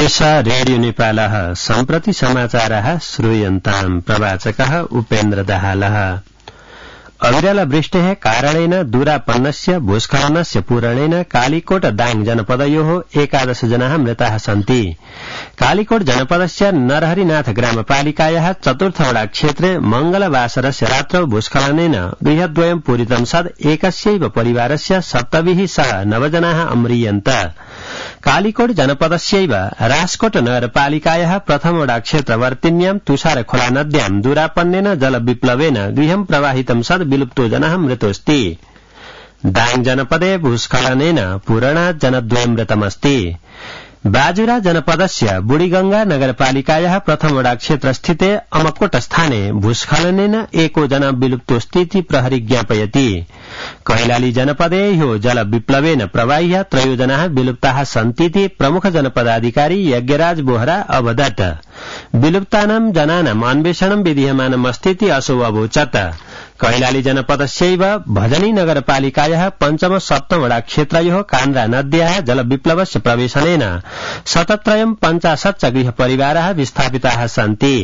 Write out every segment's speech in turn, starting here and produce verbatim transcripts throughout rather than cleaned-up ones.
एषा रेडियो नेपालः सम्प्रति समाचारः श्रूयन्ताम् प्रवाचकः उपेन्द्र दाहालः। अविरलवृष्टेः कारणेन दूरापन्नस्य भूस्खलनस्य पूरणेन कालीकोट दाङ जनपदयोः एकादश जनाः मृताः सन्ति। कालीकोट जनपदस्य नरहरिनाथ ग्रामपालिकायाः चतुर्थवडा क्षेत्रे मंगलवासरस्य रात्रौ भूस्खलनेन गृहद्वयं पूरितं सद् एकस्यैव परिवारस्य सप्तभिः सह नवजनाः अम्रियन्त। कालीकोट जनपदस्यैव राजकोट नगरपालिकायाः प्रथमवडा क्षेत्रवर्तिन्यां तुषारखोला नद्यां दूरापन्नेन जलविप्लवेन गृहं प्रवाहितं सद् विलुप्तो जनः मृतोऽस्ति। दाङ जनपदे भूस्खलनेन पूरणात् जनद्वयं मृतमस्ति। बाजुरा जनपदस्य बुढीगंगा नगरपालिकायाः प्रथमवडा क्षेत्रस्थिते अमकोट स्थाने भूस्खलनेन एको जना विलुप्तोऽस्तीति प्रहरी ज्ञापयति। कैलाली जनपदे ह्यो जलविप्लवेन प्रवाह्य त्रयो जनाः विलुप्ताः सन्तीति प्रमुख जनपदाधिकारी यज्ञराज बोहरा अवदत्। विलुप्तानां जनानाम् अन्वेषणं विधीयमानमस्तीति असौ अवोचत्। कैलाली जनपदस्यैव भजनी नगरपालिकायाः पञ्चम सप्तमवडा क्षेत्रयोः कान्द्रा नद्याः जलविप्लवस्य प्रवेशनेन शतत्रयं पञ्चाशत् गृहपरिवाराः विस्थापिताः सन्ति।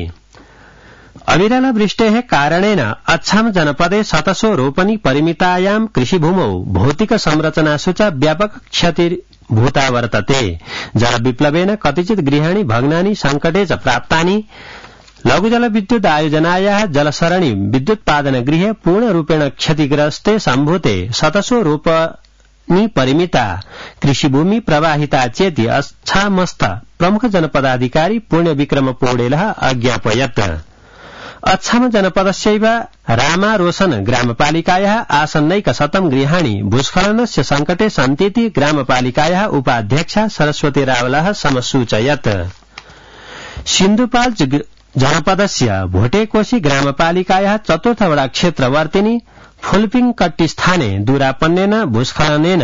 अविरलवृष्टेः कारणेन अछाम जनपदे शतशो रोपनी परिमितायां कृषिभूमौ भौतिक संरचनासु च व्यापक क्षतिर्भूता वर्तते। जलविप्लवेन कतिचित् गृहाणि भग्नानि संकटे च प्राप्तानि। लघुजलविद्युत आयोजनायाः जलसरणि विद्युत्पादनगृहे पूर्णरूपेण क्षतिग्रस्ते सम्भूते शतशो रोपनी परिमिता कृषिभूमि प्रवाहिता चेति अच्छामस्थ प्रमुख जनपदाधिकारी पुण्यविक्रम पौडेलः अज्ञापयत्। अच्छाम जनपदस्यैव रामा रोशन ग्रामपालिकायाः आसन्नैकशतं गृहाणि भूस्खलनस्य संकटे सन्तीति ग्रामपालिकायाः उपाध्यक्षा सरस्वती रावलः समसूचयत्। सिन्धुपाल् जनपदस्य भोटेकोशी ग्रामपालिकायाः चतुर्थवडा क्षेत्रवर्तिनि फुल्पिङकट्टी स्थाने दूरापन्नेन भूस्खलनेन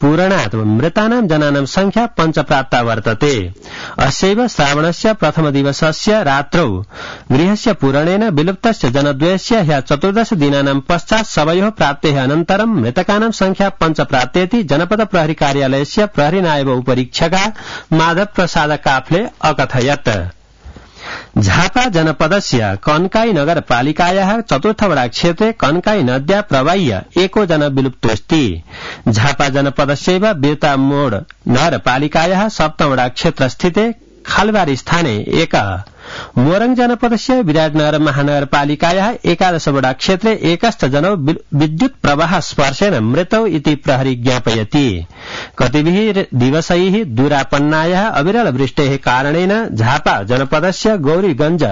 पूरणात् मृतानां जनानां संख्या पञ्चप्राप्ता वर्तते। अस्यैव श्रावणस्य प्रथम दिवसस्य रात्रौ गृहस्य पूरणेन विलुप्तस्य जनद्वयस्य ह्यः चतुर्दश दिनानां पश्चात् सबयोः प्राप्तेः अनन्तरं मृतकानां संख्या पञ्चप्राप्तेति जनपद प्रहरी कार्यालयस्य प्रहरी नायब उपरीक्षका माधव प्रसाद काफले अकथयत्। झापा जनपदस्य कन्काई नगरपालिकायाः चतुर्थवडा क्षेत्रे कन्काई नद्या प्रवाह्य एको जना विलुप्तोऽस्ति। झापा जनपदस्यैव बिर्ता मोड़ नगरपालिकायाः सप्तमवडा क्षेत्रस्थिते खालबारी स्थाने एकः। मोरङ जनपदस्य विराटनगर महानगरपालिकायाः एकादशवडा क्षेत्रे एकश्च जनौ विद्युत् प्रवाह स्पर्शेन मृतौ इति प्रहरी ज्ञापयति। कतिभिः दिवसैः दूरापन्नायाः अविरलवृष्टेः कारणेन झापा जनपदस्य गौरीगंज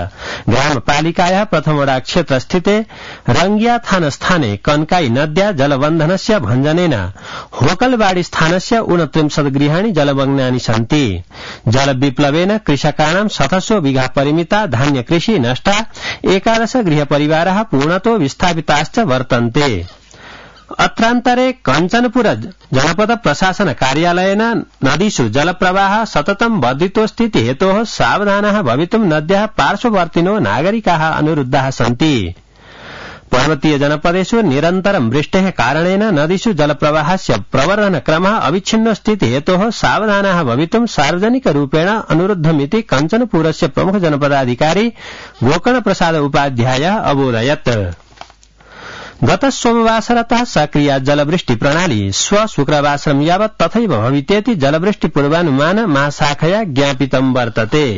ग्रामपालिकायाः प्रथमवडा क्षेत्रस्थिते रंगिया थान स्थाने कन्काई नद्या जलबन्धनस्य भञ्जनेन होकलबाडी स्थानस्य ऊनत्रिंशत् गृहाणि जलमग्नानि सन्ति। जलविप्लवेन कृषकाणां शतशो बिघा परिमिता धान्य कृषि नष्टा। एकादश गृहपरिवाराः पूर्णतो विस्थापिताश्च वर्तन्ते। अत्रान्तरे कञ्चनपुर जनपद प्रशासन कार्यालयेन नदीषु जलप्रवाहः सततं वर्धितोऽस्तीति हेतोः सावधानाः भवितुं नद्याः पार्श्ववर्तिनो नागरिकाः अनुरुद्धाः सन्ति। पर्वतीय जनपदेषु निरन्तरं वृष्टेः कारणेन नदीषु जलप्रवाहस्य प्रवर्धनक्रमः अविच्छिन्नोऽस्तीति हेतोः सावधानाः भवितुं सार्वजनिकरूपेण अनुरुद्धमिति कञ्चनपुरस्य प्रमुख जनपदाधिकारी गोकर्ण प्रसाद उपाध्यायः अबोधयत्। गत सोमवासरतः सक्रिया जलवृष्टि प्रणाली श्व शुक्रवासरं यावत् तथैव भवितेति जलवृष्टि पूर्वानुमान महाशाखया ज्ञापितं वर्तते।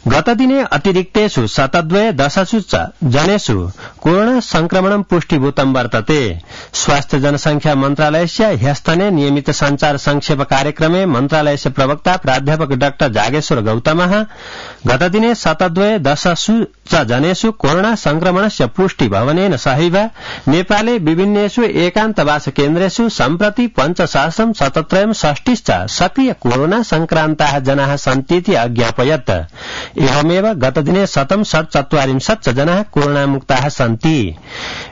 गतदिने अतिरिक्तेषु शतद्वय दशसु च जनेषु कोरोना संक्रमणं पुष्टिभूतं वर्तते। स्वास्थ्य जनसंख्या मन्त्रालयस्य ह्यस्तने नियमित संचार संक्षेप कार्यक्रमे मन्त्रालयस्य प्रवक्ता प्राध्यापक डाक्टर जागेश्वर गौतमः गतदिने शतद्वय दशसु च जनेषु कोरोना संक्रमणस्य पुष्टि भवनेन सहैव नेपाले विभिन्नेषु एकान्तवास केन्द्रेषु सम्प्रति पञ्चसहस्रं शतत्रयं षष्टिश्च सक्रिय कोरोना संक्रान्ताः जनाः सन्तीति अज्ञापयत्। एवमेव गतदिने शतं षट्चत्वारिंशत् जनाः कोरोनामुक्ताः सन्ति।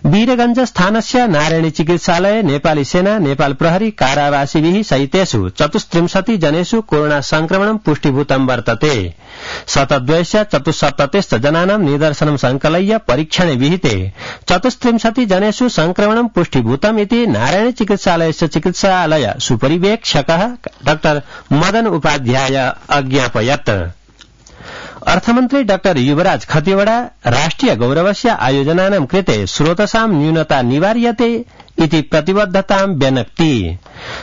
वीरगंज स्थानस्य नारायणी चिकित्सालये नेपाली सेना, नेपाल प्रहरी, कारावासिभिः सहितेषु चतुस्त्रिंशति जनेषु कोरोना संक्रमणं पुष्टिभूतं वर्तते। शतद्वयस्य चतुस्सप्ततिश्च जनानां निदर्शनं संकलय्य परीक्षणे विहिते चतुस्त्रिंशति जनेषु संक्रमणं पुष्टिभूतम् इति नारायणी चिकित्सालयस्य चिकित्सालय सुपरिवेक्षकः डॉ मदन उपाध्याय अज्ञापयत्। अर्थमन्त्री डाक्टर युवराज खतिवड़ा राष्ट्रिय गौरवस्य आयोजनानां कृते स्रोतसां न्यूनता निवार्यते इति प्रतिबद्धतां व्यनक्ति।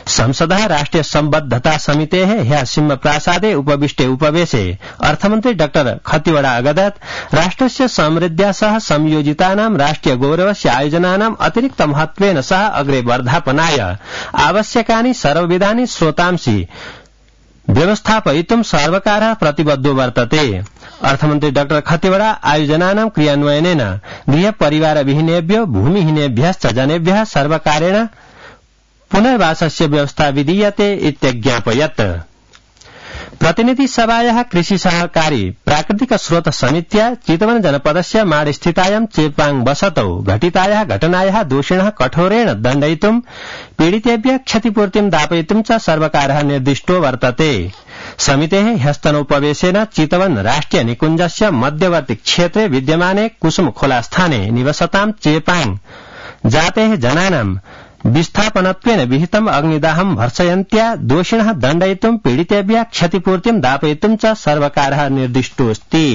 संसदः राष्ट्रिय सम्बद्धता समितेः ह्यः सिंहप्रासादे उपविष्टे उपवेशे अर्थमन्त्री डाक्टर खतिवड़ा अगदत् राष्ट्रस्य समृद्ध्या सह संयोजितानां राष्ट्रिय गौरवस्य आयोजनानां अतिरिक्त महत्त्वेन सह अग्रे वर्धापनाय आवश्यकानि सर्वविधानि स्रोतांसि व्यवस्थापयितुं सर्वकारः प्रतिबद्धो वर्तते। अर्थमन्त्री डाक्टर खतिवड़ा आयोजनानां क्रियान्वयनेन गृह परिवारविहीनेभ्यो भूमिहीनेभ्यश्च जनेभ्यः सर्वकारेण पुनर्वासस्य व्यवस्था विधीयते इत्यज्ञापयत्। प्रतिनिधि सभायाः कृषि सहकारी प्राकृतिक स्रोत समित्या चितवन जनपदस्य माडस्थितायां चेपाङ बसतौ घटितायाः घटनायाः दोषिणः कठोरेण दण्डयितुं पीडितेभ्यः क्षतिपूर्तिं दापयितुं च सर्वकारः निर्दिष्टो वर्तते। समितेः ह्यस्तनोपवेशेन चितवन राष्ट्रिय निकुञ्जस्य मध्यवर्ति क्षेत्रे विद्यमाने कुसुम खोला स्थाने निवसतां चेपाङ जातेः जनानां विस्थापनत्वेन विहितम् अग्निदाहं भर्सयन्त्या दोषिणः दण्डयितुं पीडितेभ्यः क्षतिपूर्तिं दापयितुं च सर्वकारः निर्दिष्टोऽस्ति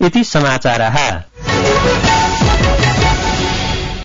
इति समाचारः।